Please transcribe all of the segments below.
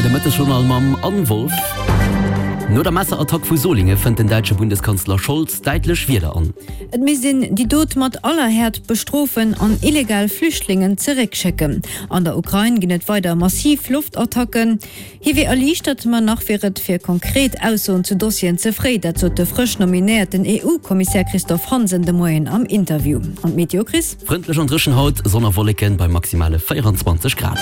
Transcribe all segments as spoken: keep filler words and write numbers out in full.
R T L de Mëttesjournal mam Anne Wolff. No der Messerattack vu Solingen fënnt den däitsche Bundeskanzler Scholz däitlech Wierder an. Et misst een déi Dot mat aller Häert bestrofen an illegal Flüchtlingen zeréckschécken. An der Ukrain ginn et weider massiv Loftattacken. Hie wier erliichtert, ma nach wier et fir konkret Aussoen zu Dossieren ze fréi. Dat sot de frësch nominéierten E U-Kommissär Christophe Hansen de Moien am Interview. An d'Meteo, Chris? Frëndlech an dréchen haut, Sonn a Wolleken bei maximale véieranzwanzeg Grad.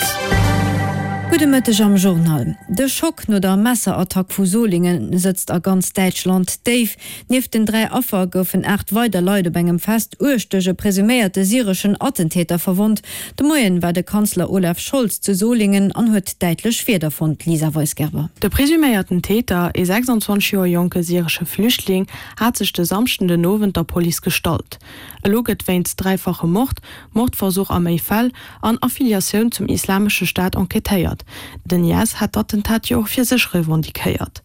Gudde Mëtteg am Journal. De Schock no der Messerattack vu Solingen sëtzt a ganz Däitschland déif. Nieft den dräi Affer goufen aacht weider Leit op engem Fest uerg duerch e presuméierte syreschen Attentäter verwonnt. De Moien war de Kanzler Olaf Scholz zu Solingen an huet däitlech Wierder fonnt, Lisa Weisgerber. De presuméierten Täter, ee sechsanzwanzeg Joer jonke syresche Flüchtling, hat sech de Samschden den Owend der Police gestallt. Elo gëtt wéinst dräifachem Mord, Mordversuch a méi Fäll an Affiliatioun zum Islamesche Staat enquêtéiert. Den I S hat d'Attentat jo och fir sech revendiquéiert.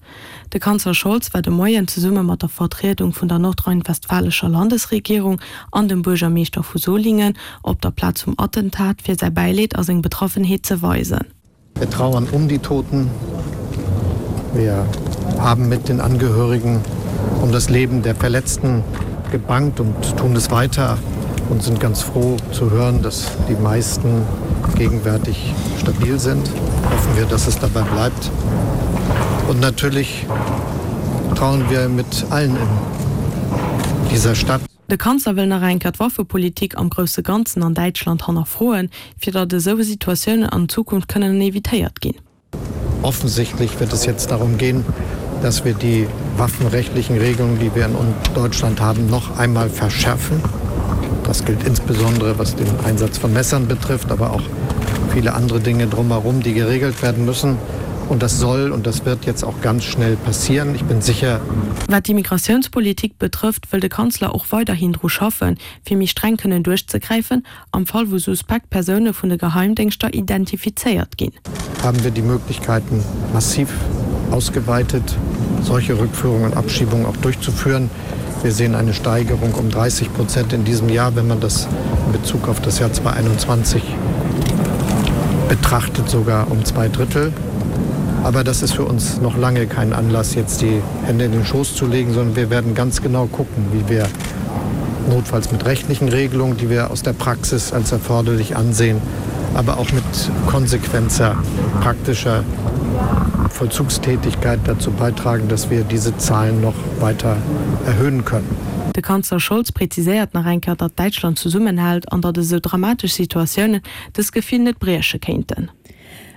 De Kanzler Scholz war de Moien zesumme mat der Vertriedung vun der nordrhein-westfälescher Landesregierung an dem Buergermeeschter vu Solingen op der Plaz vum Attentat, fir säi Bäileed a seng Betraffenheet ze weisen. Wir trauern um die Toten. Wir haben mit den Angehörigen um das Leben der Verletzten gebangt und tun es weiter und sind ganz froh zu hören, dass die meisten gegenwärtig stabil sind. Hoffen wir, dass es dabei bleibt. Und natürlich trauern wir mit allen in dieser Stadt. De Kanzler wëll nach eng Kéier d'Waffepolitik am grousse Ganzen an Däitschland hannerfroen, fir datt esou Situatiounen an Zukunft kënnen evitéiert ginn. Offensichtlich wird es jetzt darum gehen, dass wir die waffenrechtlichen Regelungen, die wir in Deutschland haben, noch einmal verschärfen. Das gilt insbesondere, was den Einsatz von Messern betrifft, aber auch viele andere Dinge drumherum, die geregelt werden müssen. Und das soll und das wird jetzt auch ganz schnell passieren. Ich bin sicher. Wat d'Immigratiounspolitik betrëfft, wëll de Kanzler och weiderhin dru schaffen, fir méi streng kënnen duerchzegräifen, am Fall wou suspekt Persoune vun de Geheimdéngschter identifizéiert ginn. Haben wir die Möglichkeiten massiv ausgeweitet, solche Rückführungen und Abschiebungen auch durchzuführen. Wir sehen eine Steigerung um dreißig Prozent in diesem Jahr, wenn man das in Bezug auf das Jahr zweitausendeinundzwanzig betrachtet, sogar um zwei Drittel. Aber das ist für uns noch lange kein Anlass, jetzt die Hände in den Schoß zu legen, sondern wir werden ganz genau gucken, wie wir notfalls mit rechtlichen Regelungen, die wir aus der Praxis als erforderlich ansehen, aber auch mit konsequenter praktischer Vollzugstätigkeit dazu beitragen, dass wir diese Zahlen noch weiter erhöhen können. De Kanzler Scholz präziséiert nach eng Kéier, datt Däitschland zesummenhält an datt esou dramatesch Situatiounen dëst Gefill net brieche kéinten.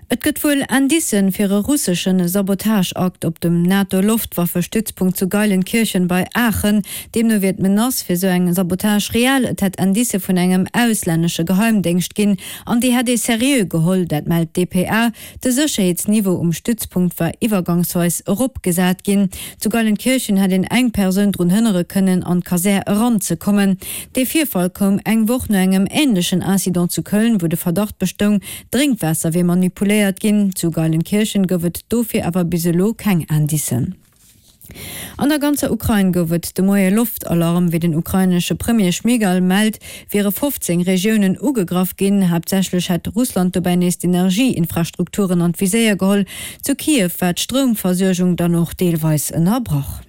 Et gëtt wuel Indicen fir e russesche Sabotageakt op dem NATO-Loftwaffestützpunkt zu Geilenkirchen bei Aachen. Deemno wier d'Menace fir sou eng Sabotage reell. Et hätt Indicë vun engem auslännesche Geheimdéngscht ginn an déi hätt ee seriö geholl, dat mellt d P A. De Sécherheetsniveau um Stützpunkt war iwwergangsweis eropgesat ginn. Zu Geilenkirchen hätt een eng Persoun drun hënnere kënnen, an d'Kasär eranzekommen. De Virfall koum eng Woch no engem änlechen Incident zu Köln, wou de Verdacht bestoung, Drénkwaasser wier manipuléiert ginn. Zu Geilenkirchen gouf et dofir awer bis elo keng Indicen. An der ganzer Ukrain gouf et de Moie Loftalarm. Wéi den ukrainesche Premier Schmyhal mellt, wiere fofzéng Regiounen ugegraff ginn. Haaptsächlech hätt Russland dobäi nees d'Energieinfrastrukturen an d'Viséier geholl. Zu Kiew war d'Stroumversuergung dann och deelweis ënnerbrach.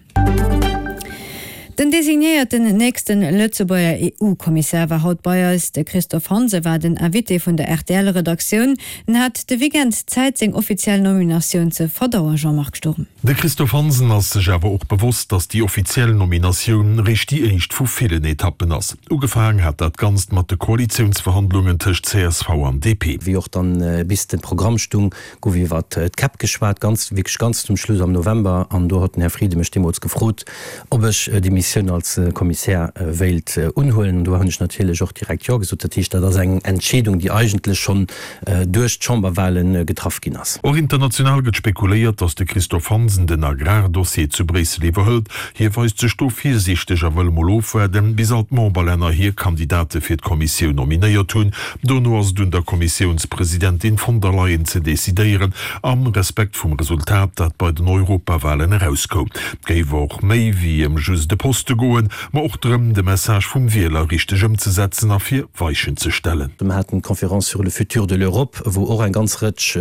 Den designéierten nächsten Lëtzebuerger E U-Kommissär war haut bei eis. De Christophe Hansen war den Invité vun der R T L-Redaktioun an hat de Weekend Zäit, seng offiziell Nominatioun ze verdauen, Jean-Marc Sturm. De Christophe Hansen ass sech awer och bewosst, datt déi offiziell Nominatioun réischt déi éischt vu villen Etappen ass. Ugefaangen hat dat Ganzt mat de Koalitiounsverhandlungen tëscht C S V an D P. Wéi och dann bis de Programm stung, gouf iwwer d'Käpp geschwat, ganz wierklech ganz zum Schluss am November, an do huet den Här Frieden mech deemools gefrot, ob ech déi Missioun als Kommissär wéilt unhuelen. Do hunn ech natierlech och direkt jo gesot. Dat heescht, dat ass eng Entscheedung, déi eigentlech schonn duerch d'Chamberwahlen getraff ginn ass. Och international gëtt spekuléiert, datt de Christophe Hansen den Agrardossier zu Bréissel iwwerhëlt. Hie weist sech do virsiichteg a wëll mol ofwaarden, bis all d'Memberlänner hir Kandidate fir d'Kommissioun nominéiert hunn. Dono ass et un der Kommissiounspresidentin von der Leyen ze decidéieren, am Respekt vum Resultat, dat bei den Europawahlen erauskoum. Et géif och méi wéi ëm just e Posten Poste goen, ma och drëm, de Message vum Wieler richteg ëmzesetzen a fir Weichen ze stellen. Mer haten d'Conférence sur le futur de l'Europe, wou och eng ganz Rëtsch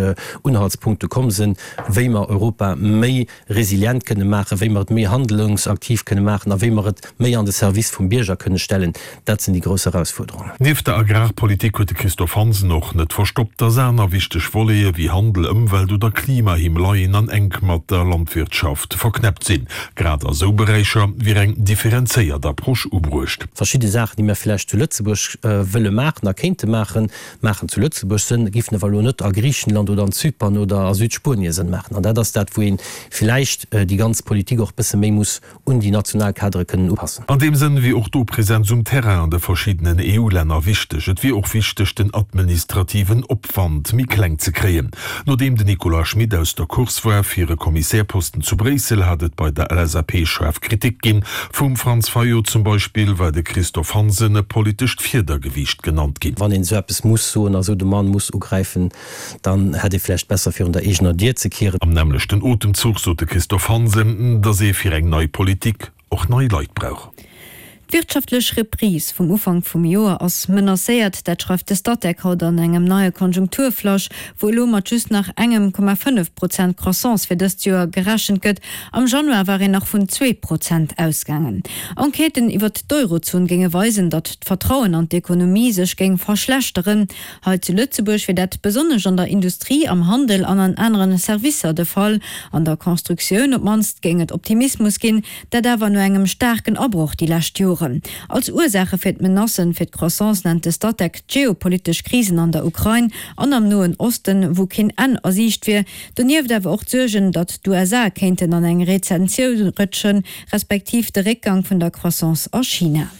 Unhaltspunkte komm sinn, wéi mer Europa méi resilient kënne maachen, wéi mer et méi handlungsaktiv kënne maachen a wéi mer et méi an de Service vum Bierger kënne stellen. Dat sinn déi grouss Erausfuerderungen. Nieft der Agrarpolitik huet de Christophe Hansen och net verstoppt, dass aner wichteg Volete wéi Handel, Ëmwelt oder Klima him leien an enk mat der Landwirtschaft verknäppt sinn. Grad a sou Beräicher wier eng differenzéiert Approche ubruecht. Verschidde Saachen, déi mir vläicht zu Lëtzebuerg wëlle maachen a kéinte maachen, maachen zu Lëtzebuerg Sënn, giffen awer elo net a Griichenland oder an Zypern oder a Südspuenie Sënn maachen. An dat ass dat, wou ee vläicht déi ganz Politik och e bësse méi muss un déi national Kadere kënnen upassen. An deem Sënn wier och do Präsenz um Terrain an de verschiddenen E U-Länner wichteg. Et wier och wichteg, den administrativen Opwand méi kleng ze kréien. Nodeem den Nicolas Schmit aus der Course war fir e Kommissärposten zu Bréissel, hat et bei der L S A P schaarf Kritik ginn. Vum Franz Fayot zum Beispill war de Christophe Hansen e politescht Fiedergewiicht genannt ginn. Wann een esou eppes muss soen a sou de Mann muss ugräifen, dann hätt ee vläicht besser virun der eegener Dier ze kieren. Am nämmlechten Otemzuch sot de Christophe Hansen, datt ee fir eng nei Politik och nei Leit brauch. D'wirtschaftlech Reprise vum Ufank vum Joer ass menacéiert, dat schreift de Statec haut an engem neie Konjunkturflash, wou elo mat just nach engem Komma fënnef Prozent Croissance fir dëst Joer gerechent gëtt. Am Januar war een nach vun zwee Prozent ausgaangen. Enquêten iwwert d'Eurozon géinge weisen, datt d'Vertrauen an d'Ekonomie sech géing verschlechteren. Hei zu Lëtzebuerg wier dat besonnesch an der Industrie, am Handel an an anere Servicer de Fall. An der Constructioun op d'mannst géing et Optimismus ginn, dat awer no engem staarken Abroch déi lescht Joren. Als Ursaache fir d'Menacen fir d'Croissance nennt de Statec d'geopolitesch Krisen an der Ukrain an am Noen Osten, wou keen Enn a Siicht wier. Donieft awer och d'Suergen, datt d'U S A kéinten an eng Rezessioun rëtschen, respektiv de Réckgang vun der Croissance a China.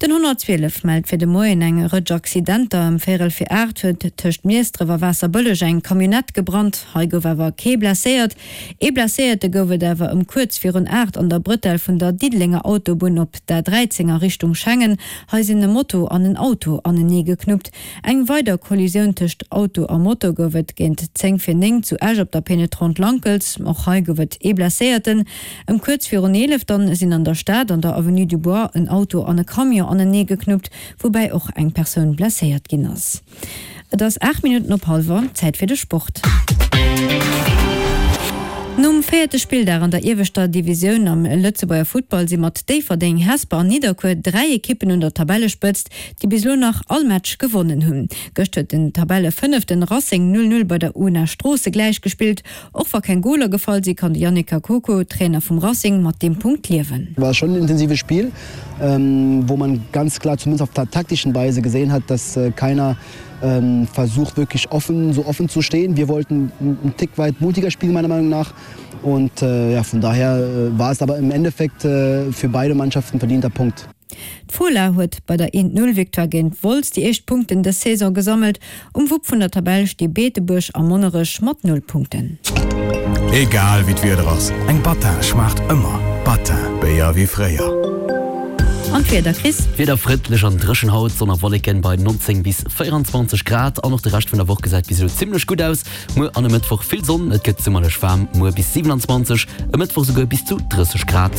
Den honnertzwielef mellt fir de Moien eng Rëtsch Accidenter. Ëm véierel vir aacht huet tëscht Miesdref a Waasserbëlleg eng Camionnette gebrannt. Hei gouf awer kee blesséiert. Ee Blesséierte gouf et awer ëm kuerz virun aacht an der Brëtell vun der Diddelenger Autobunn op der dräizéng a Richtung Schengen. Hei sinn e Moto an en Auto anenee geknuppt. Eng weider Kollisioun tëscht Auto a Moto gouf et géint zéng vir néng zu Esch op der Pénétrante Lankels. Och hei gouf et ee Blesséierten. Ëm kuerz virun eelef dann sinn an der Stad an der Avenue du Bois en Auto an e Camion anenee geknuppt, woubäi och eng Persoun blesséiert ginn ass. Et ass aacht Minutten op hallwer, Zäit fir de Sport. Nom véierte Spilldag an der ieweschter Divisioun am Lëtzebuerger Futtball si mat Déifferdeng, Hesper an Nidderkuer dräi Ekippen un der Tabellespëtzt, déi bis elo nach all Match gewonnen hunn. Gëscht huet den Tabellefënneften Racing null null bei der UNA Stroosse gläichgespillt. Och wa keng Goler gefall sinn, kann de Yannick Kakoko, Trainer vum Racing, mat deem Punkt liewen. War schon ein intensives Spiel, ähm, wo man ganz klar zumindest auf der taktischen Weise gesehen hat, dass äh, keiner ähm, versucht wirklich offen so offen zu stehen. Wir wollten einen Tick weit mutiger spielen meiner Meinung nach und äh, ja, von daher äh, war es aber im Endeffekt äh, für beide Mannschaften verdienter Punkt. D'Fola huet bei der een-Null-Victoire géint Wolz déi éischt Punkten dës Saison gesammelt. Um Wupp vun der Tabell sti Beetebuerg a Monnerech mat null Punkten. Egal wéi d'Wieder ass, eng Battin schmaacht ëmmer. Battin, Béier wéi fréier. An d'Wieder, Chris? Wieder frëndlech an dréchen haut, Sonn a Wolleken bei neunzéng bis véierenzwanzeg Grad an och de Rescht vun der Woch gesäit bis elo zimmlech gutt aus. Muer an e Mëttwoch vill Sonn, et gëtt summerlech waarm, muer bis siewenundzwanzeg, e Mëttwoch souguer bis zu drësseg Grad.